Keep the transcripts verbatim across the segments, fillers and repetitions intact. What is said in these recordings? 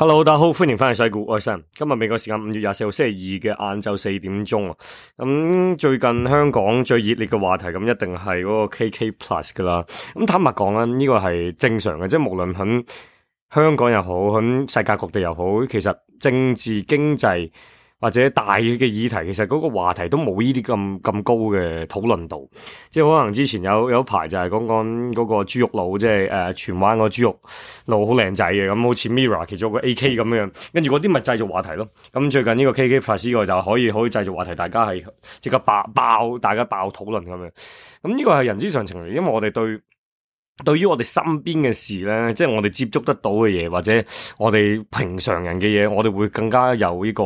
Hello，大家好，歡迎翻嚟洗股，我係 Sam。今日美國時間五月廿四號星期二嘅晏晝四點鐘啊。咁、嗯、最近香港最熱烈嘅話題，咁一定係嗰個 K K Plus 噶啦。咁坦白講啦，呢、這個係正常嘅，即係無論喺香港又好，喺世界各地又好，其實政治經濟或者大嘅議題，其實嗰個話題都冇呢啲咁咁高嘅討論度。即係可能之前有有一排就係講講嗰個豬肉佬，即係誒荃灣個豬肉佬好靚仔嘅，咁好似 Mirror 其中個 A K 咁樣，跟住嗰啲咪製造話題咯。咁最近呢個 K K Plus 呢個就可以可以製造話題，大家係即刻爆爆，大家爆討論咁樣。咁呢個係人之常情嚟，因為我哋對對於我哋身邊嘅事咧，即係我哋接觸得到嘅嘢，或者我哋平常人嘅嘢，我哋會更加有呢個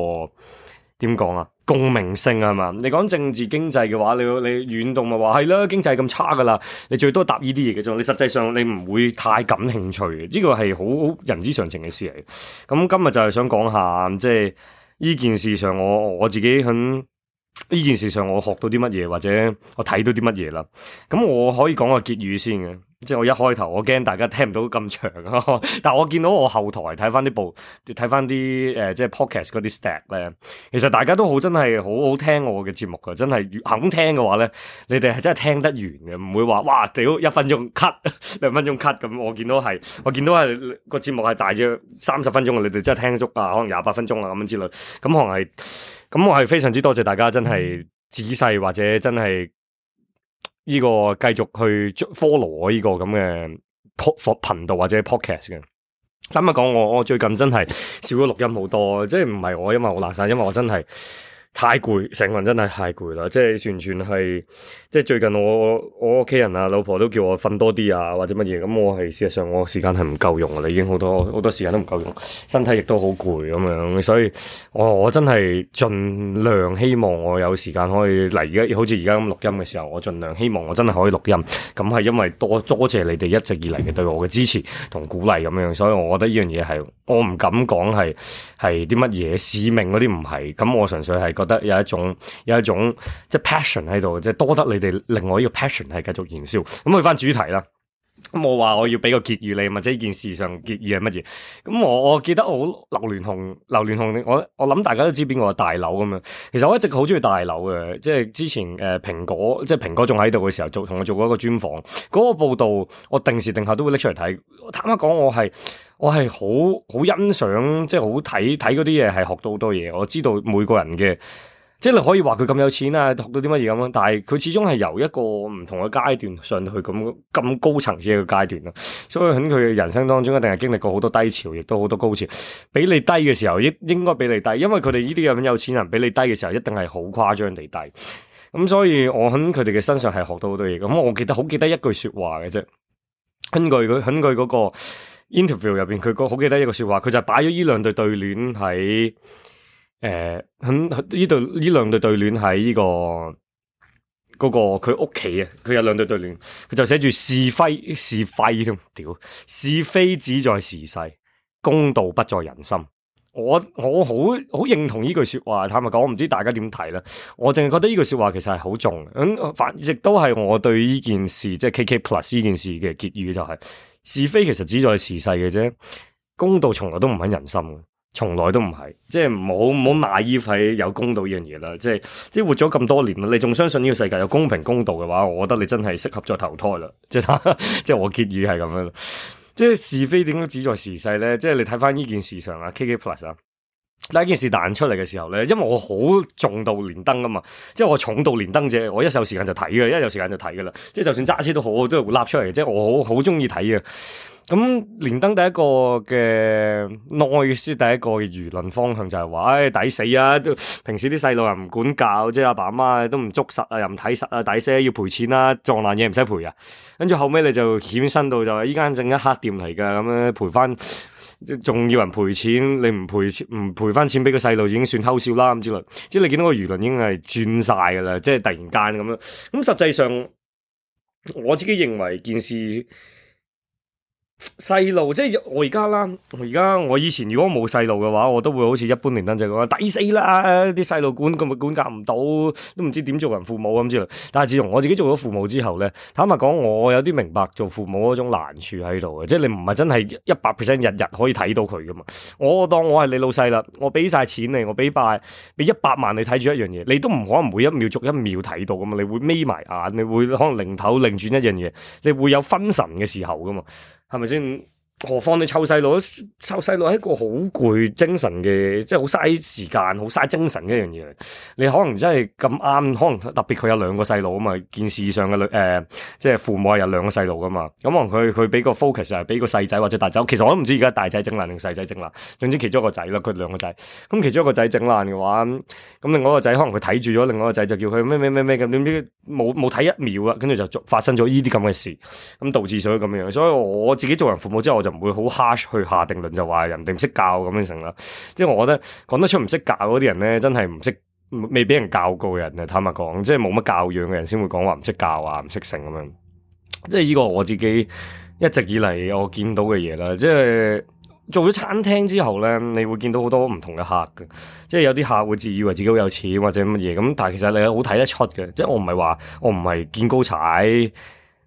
點講啊，共鳴性啊嘛。你講政治經濟嘅話，你你遠動咪話係啦，經濟咁差噶啦，你最多答呢啲嘢嘅啫。你實際上你唔會太感興趣嘅，呢個係好好人之常情嘅事嚟。咁今日就係想講下，即係呢件事上我，我我自己喺呢件事上我學到啲乜嘢，或者我睇到啲乜嘢啦。咁我可以講個結語先嘅。即係我一開頭，我驚大家聽唔到咁長啊！但係我見到我後台睇翻啲部，睇翻啲誒，即係 podcast 嗰啲 stat 咧，其實大家都好真係好好聽我嘅節目噶，真係肯聽嘅話咧，你哋係真係聽得完嘅，唔會話哇屌一分鐘 cut 兩分鐘 cut 咁。我見到係，我見到係個節目係大約三十分鐘，你哋真係聽足啊，可能廿八分鐘啊咁樣之類。咁可能係，咁我係非常之多謝大家真係仔細或者真係。呢個繼續去 follow 我呢個咁嘅 pod 頻道或者 podcast 嘅。咁啊講我我最近真係少咗錄音好多，即係唔係我因為我懶散，因為我真係太攰，成個人真係太攰啦，即係完全係即係最近我我屋企人啊老婆都叫我瞓多啲啊或者乜嘢，咁我係事實上我時間係唔夠用啦，已經好多好多時間都唔夠用，身體亦都好攰咁樣，所以我我真係盡量希望我有時間可以嚟，而家好似而家咁錄音嘅時候，我盡量希望我真係可以錄音，咁係因為多多謝你哋一直以嚟嘅對我嘅支持同鼓勵咁樣，所以我覺得呢樣嘢係我唔敢講係係啲乜嘢使命嗰啲唔係，咁我純粹係覺得有一種有一種即係 passion 喺度，即係多得你哋令我呢個 passion 係繼續燃燒。咁去翻主題啦，咁我話我要俾個結語你，或者呢件事上結語係乜嘢？咁我我記得我劉鑾雄，劉鑾雄，我我諗大家都知邊個係大劉咁樣。其實我一直好中意大劉嘅，即係之前誒蘋果，即係蘋果仲喺度嘅時候，做同我做過一個專訪，嗰、那個報道我定時定候都會拎出嚟睇。坦白講，我係我係好好欣賞，即係好睇睇嗰啲嘢，係學到好多嘢。我知道每個人嘅。即係你可以話佢咁有錢啊，學到啲乜嘢咁樣，但係佢始終係由一個唔同嘅階段上去咁咁高層次嘅階段咯。所以喺佢嘅人生當中，一定係經歷過好多低潮，亦都好多高潮。比你低嘅時候，應應該比你低，因為佢哋呢啲咁有錢人比你低嘅時候，一定係好誇張地低。咁所以我喺佢哋嘅身上係學到好多嘢。咁我記得好記得一句說話嘅啫，根據佢根據嗰個 interview 入邊，佢個好記得一個說話，佢就擺咗呢兩對對聯喺。誒，喺呢度呢兩對對聯喺呢個嗰、嗰個佢屋企啊，佢有兩對對聯，佢就寫住是非是非添，屌是非只在時勢，公道不在人心。我我好好認同呢句說話，坦白講，我唔知大家點睇啦。我淨係覺得呢句說話其實係好重，咁反亦都係我對呢件事，即係 K K Plus 呢件事嘅結語就係、是、是非其實只在時勢嘅啫，公道從來都唔喺人心嘅。從來都唔係，即係唔好唔好賣衣費有公道呢樣嘢啦。即係即係活咗咁多年啦，你仲相信呢個世界有公平公道嘅話，我覺得你真係適合再投胎啦。即係即係我結語係咁樣。即係是非點解只在時勢咧？即係你睇翻呢件事上啊 ，K K Plus 啊，第一件事彈出嚟嘅時候咧，因為我好重度連登啊嘛，即係我重度連登者，我一有時間就睇嘅，一有時間就睇噶啦。即係就算揸車都好，我都會立出嚟。即係我好好中意睇嘅。咁連登第一個嘅 noise，第一個嘅輿論方向就係話，唉、哎、抵死啊！都平時啲細路又唔管教，即係阿爸阿媽都唔捉實啊，又唔睇實啊，抵死要賠錢啦，撞爛嘢唔使賠啊！跟住後尾你就衍生到就話依間正一黑店嚟噶，咁樣賠翻，仲要人賠錢，你唔賠錢唔賠翻錢俾個細路已經算偷笑啦咁之類，即係你見到個輿論已經係轉晒噶啦，即係突然間咁樣。咁實際上我自己認為件事。細路即係我而家啦，我而家我以前如果冇細路嘅話，我都會好似一般連登仔講抵死啦，啲細路管咁咪管教唔到，都唔知點做人父母咁之類。但係自從我自己做咗父母之後咧，坦白講，我有啲明白做父母嗰種難處喺度嘅，即係你唔係真係一百 percent 日日可以睇到佢噶嘛。我當我係你老細啦，我俾晒錢你，我俾百俾一百萬你睇住一樣嘢，你都唔可能每一秒逐一秒睇到噶嘛，你會眯埋眼，你會可能擰頭擰轉一樣嘢，你會有分神嘅時候噶嘛。係咪先？何況你湊細路，湊細路係一個好攰精神嘅，即係好嘥時間、好嘥精神嘅一樣嘢。你可能真係咁啱，可能特別佢有兩個細路啊嘛。件事上嘅女誒，即係父母係有兩個細路噶嘛。咁可能佢佢俾個 focus 係俾個細仔或者大仔。其實我都唔知而家大仔整爛定細仔整爛。總之其中一個仔啦，佢兩個仔。咁其中一個仔整爛嘅話，咁另外一個仔可能佢睇住咗，另外一個仔就叫佢咩咩咩咩咁，點知冇冇睇一秒啊，跟住就發生咗呢啲咁嘅事，咁導致咗咁樣。所以我自己做人父母之後，我就唔會好 harsh 去下定論，就話人哋唔識教咁樣成啦。即係我覺得講得出唔識教嗰啲人咧，真係唔識，未俾人教過嘅人啊。坦白講，即係冇乜教養嘅人先會講話唔識教啊，唔識成咁樣。即係呢個我自己一直以嚟我見到嘅嘢啦。即係做咗餐廳之後咧，你會見到好多唔同嘅客嘅。即係有啲客會自以為自己好有錢或者乜嘢咁，但係其實你好睇得出嘅。即係我唔係話我唔係見高踩。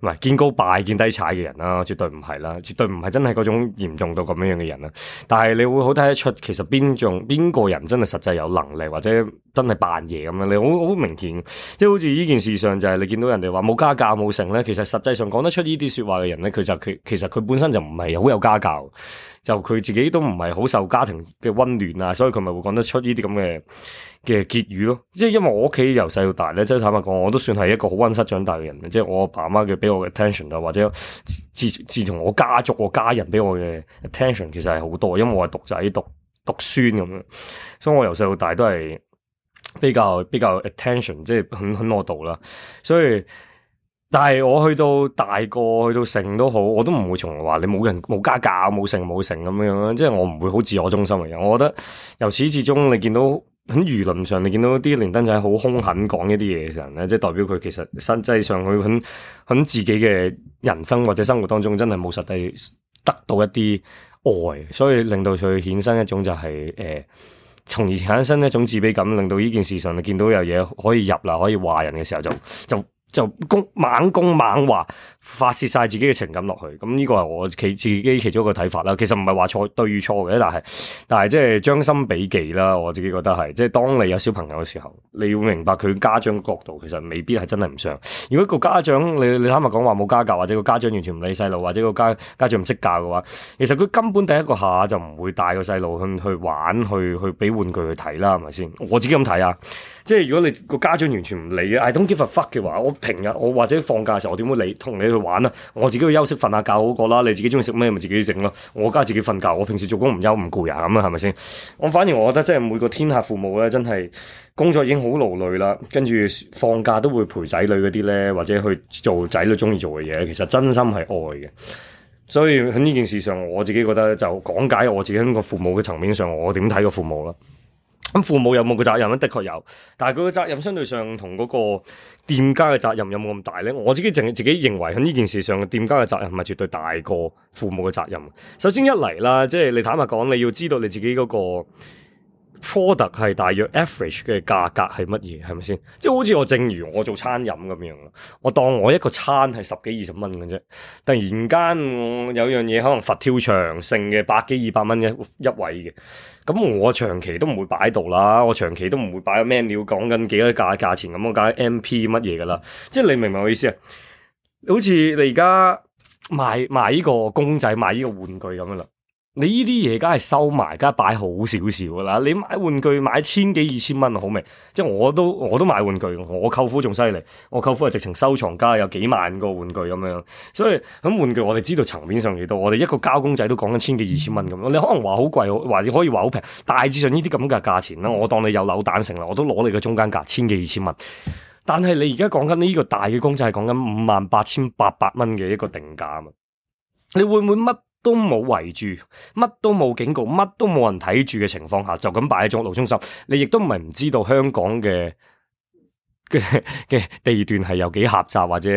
唔係見高拜見低踩嘅人啦，絕對唔係啦，絕對唔係真係嗰種嚴重到咁樣樣嘅人啦。但係你會好睇得出，其實邊種邊個人真係實際有能力，或者真係扮嘢咁樣，你好好明顯。即係好似呢件事上就係你見到人哋話冇家教冇成咧，其實實際上講得出呢啲說話嘅人咧，佢就佢其實佢本身就唔係好有家教，就佢自己都唔係好受家庭嘅溫暖啊，所以佢咪會講得出呢啲咁嘅嘅結語咯。即係因為我屋企由細到大咧，即係坦白講，我都算係一個好溫室長大嘅人。即係我阿爸阿媽嘅俾我嘅 attention 啊，或者自自從我家族我家人俾我嘅 attention 其實係好多，因為我係獨仔獨獨孫咁樣，所以我由細到大都係比較比較 attention，即係很很我度啦。所以但係我去到大個去到成都好，我都唔會從話你冇人冇家教冇成冇成咁樣，即係我唔會好自我中心嘅人。我覺得由始至終你見到喺輿論上，你見到啲連登仔好兇狠講一啲嘢嘅人咧，即係代表佢其實實際上佢喺喺自己嘅人生或者生活當中真係冇實際得到一啲愛，所以令到佢衍生一種就係、是、誒、呃，從而產生一種自卑感，令到呢件事上你見到有嘢可以入啦，可以話人嘅時候就就。就攻猛攻猛話，發洩晒自己嘅情感落去，咁呢個係我其自己其中一個睇法啦。其實唔係話錯對與錯嘅，但係但係即係將心比己啦。我自己覺得係，即係當你有小朋友嘅時候，你要明白佢家長嘅角度，其實未必係真係唔想。如果個家長你你坦白講話冇家教，或者個家長完全唔理細路，或者個家家長唔識教嘅話，其實佢根本第一個下就唔會帶個細路去去玩，去去俾玩具去睇啦，係咪先？我自己咁睇啊。即係如果你個家長完全唔理嘅，I don't give a fuck 嘅話，我平日我或者放假嘅時候，我點會理同你去玩啊？我自己去休息瞓下覺好過啦。你自己中意食咩咪自己整咯。我家自己瞓覺，我平時做工唔休唔攰啊咁啊，係咪先？我反而我覺得即係每個天下父母咧，真係工作已經好勞累啦，跟住放假都會陪仔女嗰啲咧，或者去做仔女中意做嘅嘢，其實真心係愛嘅。所以喺呢件事上，我自己覺得就講解我自己喺個父母嘅層面上，我點睇個父母啦。咁父母有冇個責任咧？的確有，但係佢個責任相對上同嗰個店家嘅責任有冇咁大咧？我自己淨係自己認為喺呢件事上，店家嘅責任係絕對大過父母嘅責任。首先一嚟啦，即係你坦白講，你要知道你自己嗰個 product 係大約 average 嘅價格係乜嘢，係咪先？即係好似我正如我做餐飲咁樣，我當我一個餐係十幾二十蚊嘅啫，突然間我有樣嘢可能佛跳牆性嘅百幾二百蚊一一位嘅，咁我長期都唔會擺度啦，我長期都唔會擺個 menu 講緊幾多價價錢咁，我解 M P 乜嘢噶啦，即係你明唔明我意思啊？好似你而家賣賣呢個公仔賣呢個玩具咁樣啦。你呢啲嘢梗係收埋，梗係擺好少少噶啦。你買玩具買千幾二千蚊好未？即係我都我都買玩具，我舅父仲犀利，我舅父係直情收藏家，有幾萬個玩具咁樣。所以咁玩具我哋知道層面上幾多，我哋一個膠公仔都講緊千幾二千蚊咁。你可能話好貴，或者可以話好平，大致上呢啲咁嘅價錢啦。我當你有扭蛋成啦，我都攞你嘅中間價千幾二千蚊。但係你而家講緊呢個大嘅公仔係講緊五萬八千八百蚊嘅一個定價啊嘛，你會唔會乜都冇圍住，乜都冇警告，乜都冇人睇住嘅情況下，就咁擺喺中路中心，你亦都唔係唔知道香港嘅嘅嘅地段係有幾狹窄，或者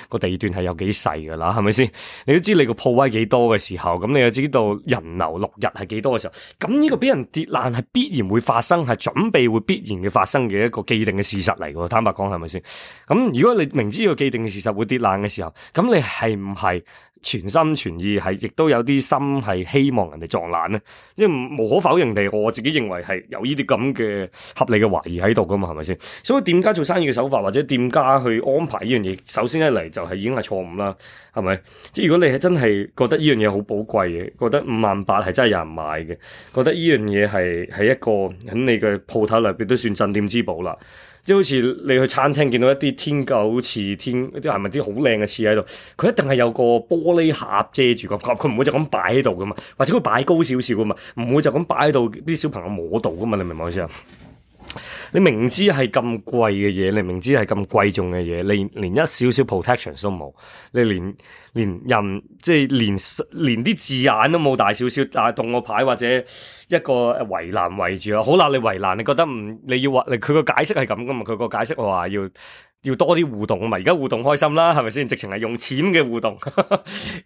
個地段係有幾細噶啦，係咪先？你都知你個鋪位幾多嘅時候，咁你又知道人流六日係幾多嘅時候，咁呢個俾人跌爛係必然會發生，係準備會必然嘅發生嘅一個既定嘅事實嚟嘅。坦白講，係咪先？咁如果你明知呢個既定嘅事實會跌爛嘅時候，咁你係唔係全心全意係，亦都有啲心係希望人哋撞爛咧？即係無可否認地，我自己認為係有呢啲咁嘅合理嘅懷疑喺度噶嘛，係咪先？所以店家做生意嘅手法或者店家去安排呢樣嘢，首先一嚟就係已經係錯誤啦，係咪？即係如果你係真係覺得呢樣嘢好寶貴嘅，覺得五萬八係真係有人買嘅，覺得呢樣嘢係係一個喺你嘅鋪頭裏邊都算鎮店之寶啦。即係好似你去餐廳見到一啲天狗翅、天一啲係咪啲好靚嘅翅喺度，佢一定係有個玻璃盒遮住個盒，佢唔會就咁擺喺度噶嘛，或者佢擺高少少噶嘛，唔會就咁擺喺度啲小朋友摸到噶嘛，你明唔明我意思啊？你明知係咁貴嘅嘢，你明知係咁貴重嘅嘢，你連一少少 protection 都冇，你連連人即係連連啲字眼都冇大少少，啊動個牌或者一個圍欄圍住啊，好啦，你圍欄你覺得唔你要話，你佢個解釋係咁噶嘛？佢個解釋話要要多啲互動啊嘛，而家互動開心啦，係咪先？直情係用錢嘅互動，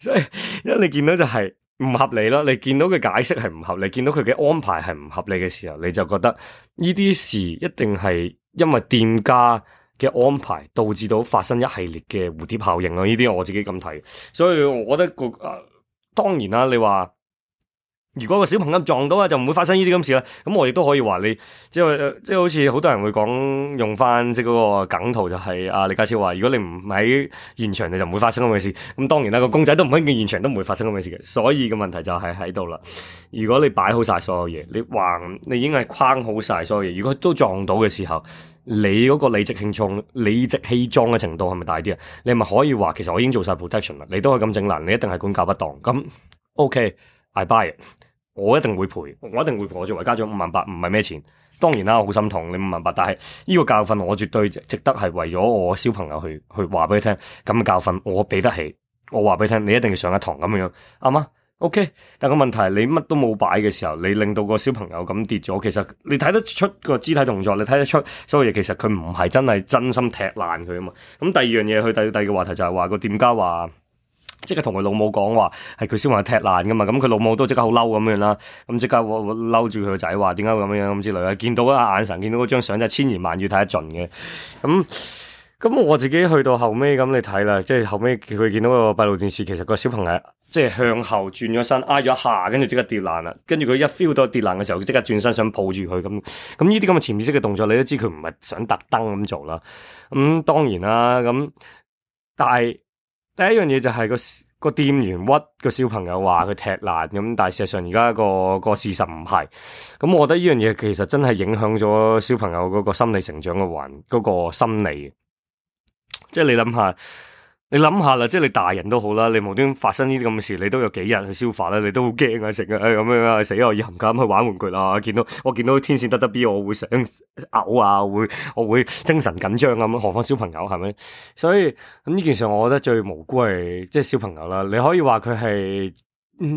所以因為你見到就係、是。唔合理咯，你見到佢解釋係唔合理，見到佢嘅安排係唔合理嘅時候，你就覺得呢啲事一定係因為店家嘅安排導致到發生一系列嘅蝴蝶效應咯。呢啲我自己咁睇，所以我覺得個誒、呃，當然啦，你話。如果個小朋友撞到啊，就唔會發生呢啲咁事啦。咁我亦都可以話你，即係即係好似好多人會講用翻即係嗰個梗圖，就係阿李家超話：如果你唔喺現場，你就唔會發生咁嘅事。咁當然啦，個公仔都唔喺現場，都唔會發生咁嘅事嘅。所以個問題就係喺度啦。如果你擺好晒所有嘢，你橫你已經係框好晒所有嘢，如果都撞到嘅時候，你嗰個理直氣壯、理直氣壯嘅程度係咪大啲啊？你咪可以話其實我已經做晒 protection 啦，你都可以咁整爛，你一定係管教不當。咁 OK，I buy it。我一定會賠，我一定會賠。我作為家長五萬八唔係咩錢，當然啦，我好心痛你五萬八，但係呢個教訓我絕對值得係為咗我小朋友去去話俾佢聽，咁嘅教訓我俾得起，我話俾佢聽，你一定要上一堂咁樣，啱嗎？OK，但個問題係你乜都冇擺嘅時候，你令到個小朋友咁跌咗，其實你睇得出個肢體動作，你睇得出所有嘢，其實佢唔係真係真心踢爛佢啊嘛。咁第二樣嘢，去第第二個話題就係話個店家話。即刻同佢老母講話係佢小朋友踢爛噶嘛，咁佢老母都即刻好嬲咁樣啦，咁即刻嬲住佢個仔話點解會咁樣咁之類啊，見到啊眼神見到嗰張相真係千言萬語睇得盡嘅，咁咁我自己去到後尾咁你睇啦，即係後尾佢見到個閉路電視，其實個小朋友即係向後轉咗身挨咗一下，跟住即刻跌爛啦，跟住佢一 feel 到跌爛嘅時候，即刻轉身想抱住佢咁，咁呢啲咁嘅潛意識嘅動作，你都知佢唔係想特登咁做啦，咁、嗯、當然啦，咁但係。第一樣嘢就係個個店員屈個小朋友話佢踢爛咁，但係事實上而家個個事實唔係，咁我覺得呢樣嘢其實真係影響咗小朋友嗰個心理成長嘅環嗰個心理，即係你諗下。你諗下啦，即係你大人都好啦，你無端發生呢啲咁嘅事，你都有幾日去消化啦，你都好驚啊，成日咁樣啊，死我要冚家咁去玩玩具啦，見到我見到天線得得 B，我會想嘔啊，我會我會精神緊張咁，何況小朋友係咪？所以咁呢件事，我覺得最無辜係即係小朋友啦。你可以話佢係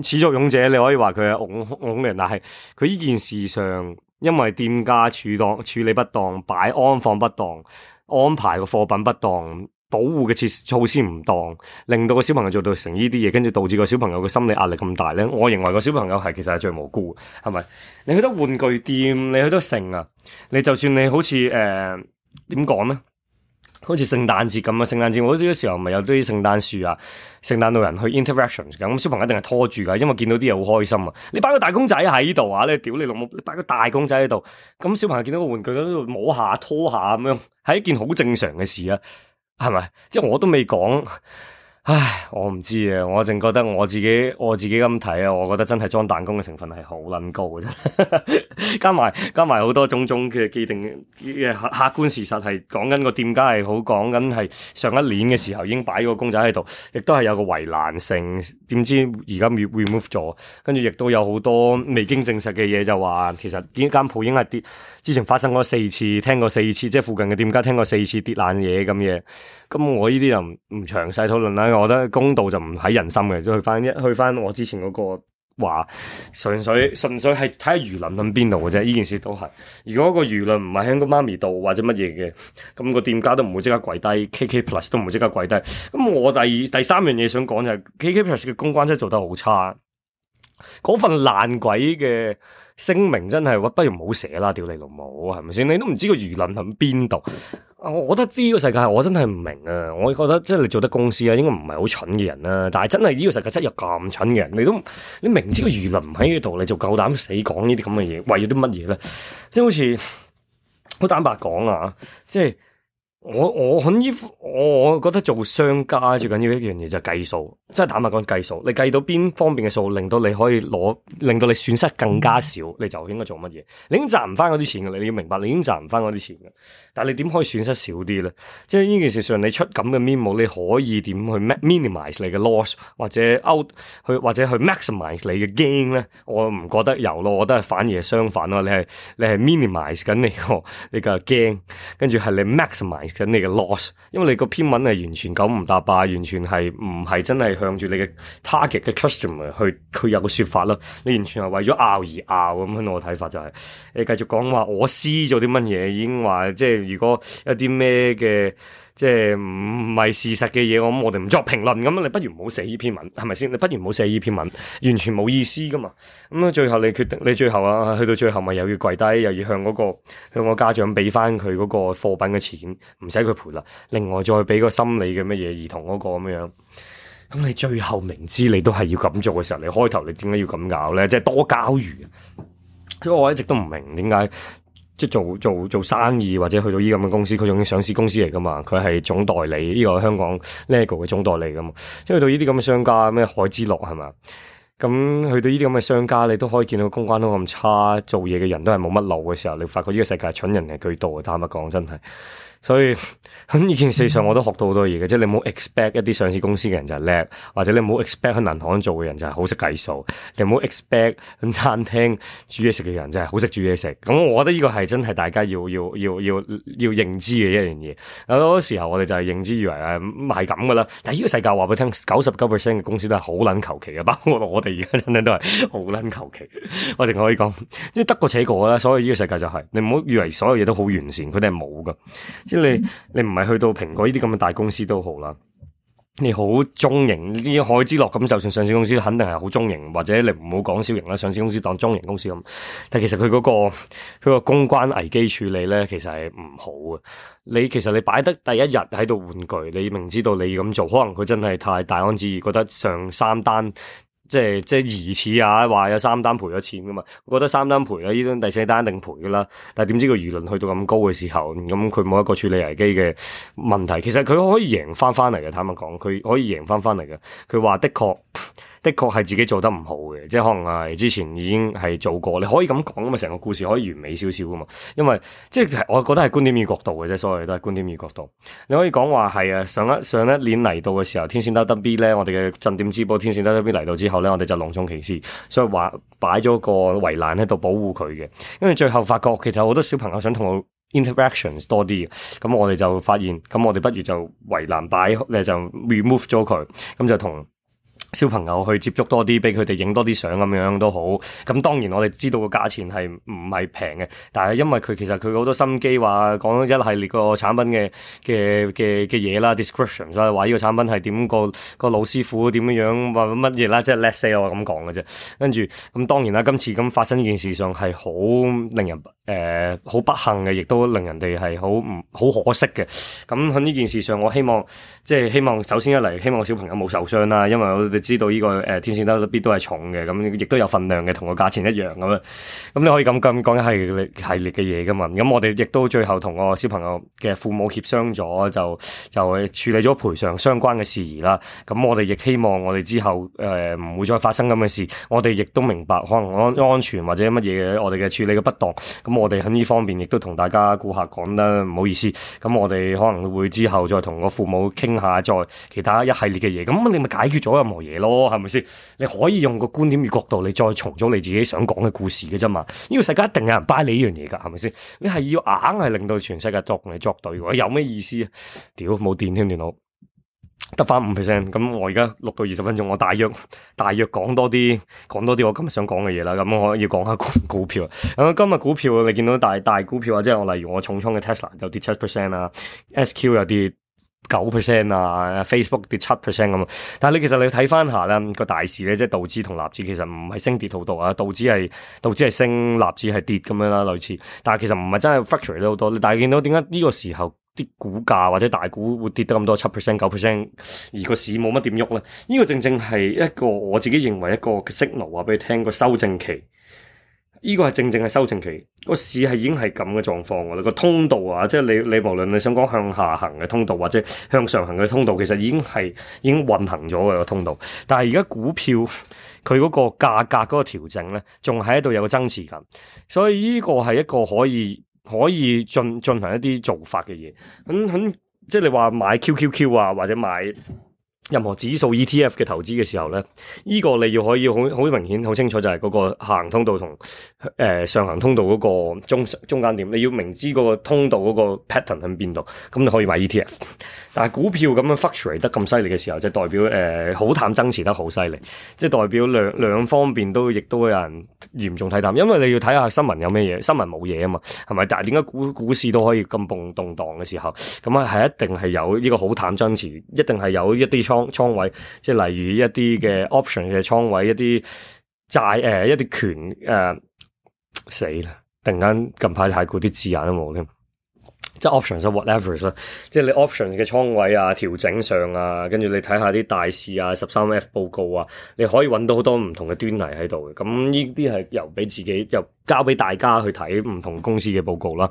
始作俑者，你可以話佢係戇戇人，但係佢呢件事上，因為店家處當處理不當，擺安放不當，安排個貨品不當。保護嘅措措施唔當，令到個小朋友做到成呢啲嘢，跟住導致個小朋友嘅心理壓力咁大咧。我認為個小朋友係其實係最無辜，係咪？你去到玩具店，你去到成啊，你就算你好似誒點講咧，好似聖誕節咁啊，聖誕節好似嗰時候咪有啲聖誕樹啊、聖誕老人去 interactions 咁，小朋友一定係拖住噶，因為見到啲嘢好開心啊。你擺個大公仔喺度啊，你屌你老母，你擺個大公仔喺度，咁小朋友見到個玩具喺度摸下拖下咁樣，係一件好正常嘅事啊。係咪？即係我都未講，唉，我唔知啊。我淨覺得我自己我自己咁睇啊，我覺得真係裝彈弓嘅成分係好撚高嘅啫。加埋加埋好多種種嘅既定嘅客客觀事實，係講緊個店家係好講緊係上一年嘅時候已經擺個公仔喺度，亦都係有個圍欄性。點知而家 remove 咗，跟住亦都有好多未經證實嘅嘢，就話其實呢間鋪已經係跌，之前發生過四次，聽過四次，即係附近嘅店家聽過四次跌爛嘢咁嘢。咁我呢啲就唔唔詳細討論啦。我覺得公道就唔喺人心嘅，即去翻一去翻我之前嗰個話純粹純粹係睇下輿論喺邊度嘅啫。呢件事都係，如果個輿論唔係喺個媽咪度或者乜嘢嘅，咁個店家都唔會即刻跪低 ，K K Plus 都唔會即刻跪低。咁我第二第三樣嘢想講就係 K K Plus 嘅公關真係做得好差，嗰份爛鬼嘅聲明真係，不如唔好寫啦，屌你老母，係咪先？你都唔知個輿論喺邊度。我覺得知呢個世界，我真係唔明啊！我覺得即係你做得公司啊，應該唔係好蠢嘅人啦。但係真係呢個世界真係有咁蠢嘅人，你都你明知個輿論唔喺呢度，你就夠膽死講呢啲咁嘅嘢，為咗啲乜嘢咧？即係好似好坦白講啊，即係。我我喺呢，我我覺得做商家最緊要一樣嘢就係計數，即係坦白講計數，你計到邊方面嘅數，令到你可以攞，令到你損失更加少，你就應該做乜嘢？你已經賺唔翻嗰啲錢嘅，你要明白，你已經賺唔翻嗰啲錢嘅，但係你點可以損失少啲咧？即係呢件事上，你出咁嘅 memo， 你可以點去 minimize 你嘅 loss， 或者 out 去或者去 maximize 你嘅 gain 咧？我唔覺得有咯，我覺得係反而係相反咯。你係你係 minimize 緊你個你個 gain， 跟住係你 maximize緊你嘅 loss， 因為你個篇文係完全九唔搭八，完全係唔係真係向住你嘅 target 嘅 customer 去佢有個說法咯，你完全係為咗拗而拗咁樣。我嘅睇法就係、是、你繼續講話我施咗啲乜嘢，已經話即係如果有啲咩嘅即係唔係事實嘅嘢，咁我哋唔作評論咁，你不如唔好寫呢篇文，係咪先？你不如唔好寫呢篇文，完全冇意思噶嘛。咁啊，最後你決定，你最後啊，去到最後咪又要跪低，又要向嗰、那個向個家長俾翻佢嗰個貨品嘅錢，唔使佢賠啦。另外再俾個心理嘅乜嘢兒童嗰個咁樣。咁你最後明知你都係要咁做嘅時候，你開頭你點解要咁搞咧？即係多交魚。所以我一直都唔明點解。即係做做做生意或者去到依咁嘅公司，佢仲要上市公司嚟噶嘛？佢係總代理，呢、這個香港 Lego 嘅總代理噶嘛？即係去到呢啲咁嘅商家，咩海之樂係嘛？咁去到呢啲咁嘅商家，你都可以見到公關都咁差，做嘢嘅人都係冇乜路嘅時候，你發覺呢個世界蠢人係居多嘅，坦白講真係。所以喺呢件事上我都學到好多嘢嘅，即係你唔好 expect 一啲上市公司嘅人就係叻，或者你唔好 expect 喺銀行做嘅人就係好識計數，你唔好 expect 喺餐廳煮嘢食嘅人就係好識煮嘢食。咁我覺得呢個係真係大家要要要要要認知嘅一樣嘢。有好多時候我哋就係認知以為誒係咁噶啦，但係呢個世界話俾你聽，九十九 percent 嘅公司都係好撚求其嘅，包括我哋而家真係都係好撚求其。我淨可以講，即係得過且過啦。所以呢個世界就係、是、你唔好以為所有嘢都好完善，佢哋係冇噶。即係你，你唔係去到蘋果呢啲咁嘅大公司都好啦，你好中型，呢啲海之樂咁，就算上市公司肯定係好中型，或者你唔好講小型啦，上市公司當中型公司咁。但係其實佢嗰個佢個公關危機處理咧，其實係唔好嘅。你其實你擺得第一日喺度玩具，你明知道你咁做，可能佢真係太大安旨意，覺得上三單。即係即係疑似啊，話有三單賠咗錢噶嘛，我覺得三單賠啦，呢單第四單一定賠噶啦。但係點知個輿論去到咁高嘅時候，咁佢冇一個處理危機嘅問題，其實佢可以贏翻翻嚟嘅。坦白講，佢可以贏翻翻嚟嘅。佢話的確的確係自己做得唔好嘅，即係可能係之前已經係做過，你可以咁講噶嘛，成個故事可以完美少少噶嘛。因為即係我覺得係觀點與角度嘅啫，所有都係觀點與角度。你可以講話係啊，上一上一年嚟到嘅時候，天線得得 B 咧，我哋嘅鎮店之寶天線得得 B 嚟到之後咧，我哋就隆重其事，所以話擺咗個圍欄喺度保護佢嘅。因為最後發覺其實好多小朋友想同我 interactions 多啲嘅，咁我哋就發現，咁我哋不如就圍欄擺，誒就 remove 咗佢，咁就同小朋友去接觸多啲，俾佢哋影多啲相咁樣都好。咁當然我哋知道個價錢係唔係平嘅，但係因為佢其實佢好多心機，話講一系列個產品嘅嘅嘅嘅嘢啦 ，description 所以話呢個產品係點，個個老師傅點樣樣話乜嘢啦，即係 let's say 我咁講嘅啫。跟住咁當然啦，今次咁發生呢件事上係好令人誒好、呃、不幸嘅，亦都令人哋係好唔好可惜嘅。咁喺呢件事上，我希望即係希望首先一嚟，希望小朋友冇受傷啦，因為我哋知道呢、這個誒、呃、天線得得 B 都係重嘅，咁亦都有份量嘅，同個價錢一樣咁樣。咁你可以咁咁講一系列系列嘅嘢噶嘛？咁我哋亦都最後同個小朋友嘅父母協商咗，就就處理咗賠償相關嘅事宜啦。咁我哋亦希望我哋之後誒唔、呃、會再發生咁嘅事。我哋亦都明白可能安安全或者乜嘢我哋嘅處理嘅不當。咁我哋喺呢方面亦都同大家顧客講得唔好意思。咁我哋可能會之後再同個父母傾下，再其他一系列嘅嘢。咁你咪解決咗任何嘢咯，係咪先？你可以用個觀點與角度，你再重組你自己想講嘅故事嘅啫嘛。呢個世界一定有人 buy 你呢樣嘢噶，係咪先？你係要硬係令到全世界作同你作對，有咩意思啊？屌，冇電添電腦。得翻五 percent，咁我而家錄到二十分鐘，我大約大約講多啲講多啲我今日想講嘅嘢啦。咁我要講下股股票。咁今日股票你見到大大股票啊，即係我例如我重倉嘅 Tesla 有跌七 percent 啊 ，S Q 有跌九 percent 啊 ，Facebook 跌七 percent 咁。但係你其實你睇翻下咧個大市咧，即係道指同納指其實唔係升跌好多啊，道指係道指係升，納指係跌咁樣啦，類似。但係其實唔係真係 fluctuate 好多。但係見到點解呢個時候啲股價或者大股會跌得咁多七 percent 九 percent， 而個市冇乜點喐咧？呢、這個正正係一個我自己認為一個 signal 話俾你聽個修正期。呢、這個係正正係修正期，個市係已經係咁嘅狀況㗎啦。個通道啊，即係你你無論你想講向下行嘅通道或者向上行嘅通道，其實已經係已經運行咗嘅個通道。但係而家股票佢嗰個價格嗰個調整咧，仲喺度有個增持緊，所以呢個係一個可以。可以進進行一啲做法嘅嘢，咁咁即係你話買 Q Q Q 啊，或者買任何指數 E T F 嘅投資嘅時候咧，呢、這個你要可以好好明顯、好清楚就係嗰個下行通道同誒、呃、上行通道嗰個中中間點，你要明知嗰個通道嗰個 pattern 喺邊度，咁你可以買 E T F。但係股票咁樣 fluctuate 得咁犀利嘅時候，就代表誒好、呃、淡增持得好犀利，即係代表兩兩方面都亦都有人嚴重睇淡，因為你要睇下新聞有咩嘢，新聞冇嘢啊嘛，係咪？但係點解股股市都可以咁動動盪嘅時候，咁啊係一定係有呢個好淡增持，一定係有一啲倉倉位，即係例如一啲嘅 option 嘅倉位，一啲債誒一啲權誒死啦！突然間近排太過啲字眼都冇添。即係 options 啊 whatever 啦，即係你 options 嘅倉位啊、調整上啊，跟住你睇下啲大市啊、十三 F 報告啊，你可以揾到好多唔同嘅端倪喺度嘅。咁呢啲係由俾自己，由交俾大家去睇唔同公司嘅報告啦。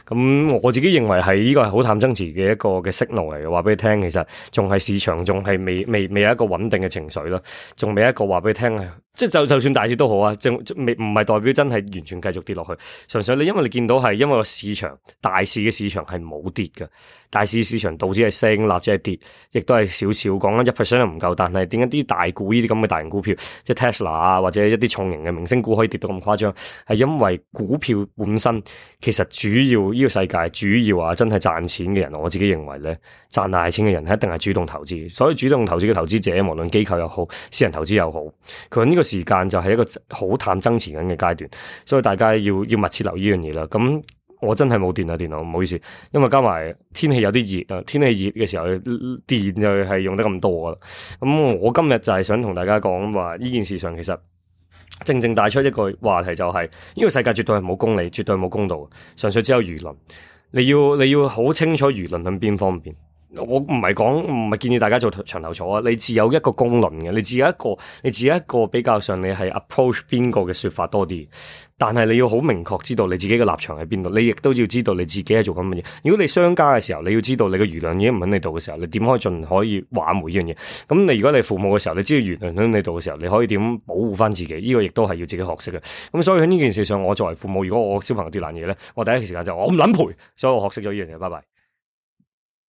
咁我自己認為係呢個係好淡增持嘅一個嘅 signal 嚟嘅，話俾你聽，其實仲係市場仲係未未未有一個穩定嘅情緒啦，仲未一個話俾你聽係，即係就就算大跌都好啊，仲未唔係代表真係完全繼續跌落去，純粹你因為你見到係因為個市場大市嘅市場係冇跌嘅，大市市場導致係升，納指係跌，亦都係少少，講緊一 percent 都唔夠。但係點解啲大股呢啲咁嘅大型股票，即係 Tesla 啊，或者一啲重型嘅明星股可以跌到咁誇張？係因為股票本身其實主要呢個世界主要啊，真係賺錢嘅人，我自己認為咧，賺大錢嘅人一定係主動投資。所以主動投資嘅投資者，無論機構又好，私人投資又好，佢呢個時間就係一個好淡增持緊嘅階段，所以大家要要密切留意呢樣嘢啦。咁我真係冇電啊，電腦唔好意思，因為加埋天氣有啲熱啊，天氣熱嘅時候電就係用得咁多啦。咁我今日就係想同大家講話呢件事上，其實正正帶出一個話題，就係呢個世界絕對係冇公理，絕對冇公道，純粹只有輿論。你要你要好清楚輿論喺邊方面。我唔係講，唔係建議大家做牆頭草啊！你自有一個公論嘅，你自有一個，你自有一個比較上你係 approach 邊個嘅說法多啲。但係你要好明確知道你自己嘅立場喺邊度，你亦都要知道你自己係做緊乜嘢。如果你商家嘅時候，你要知道你嘅輿論已經唔喺你度嘅時候，你點可以盡可以挽回呢樣嘢？咁你如果你父母嘅時候，你知道輿論喺你度嘅時候，你可以點保護翻自己？呢、這個亦都係要自己學識嘅。咁所以喺呢件事上，我作為父母，如果我小朋友跌爛嘢咧，我第一時間就我唔撚賠，所以我學識咗呢樣嘢。拜拜。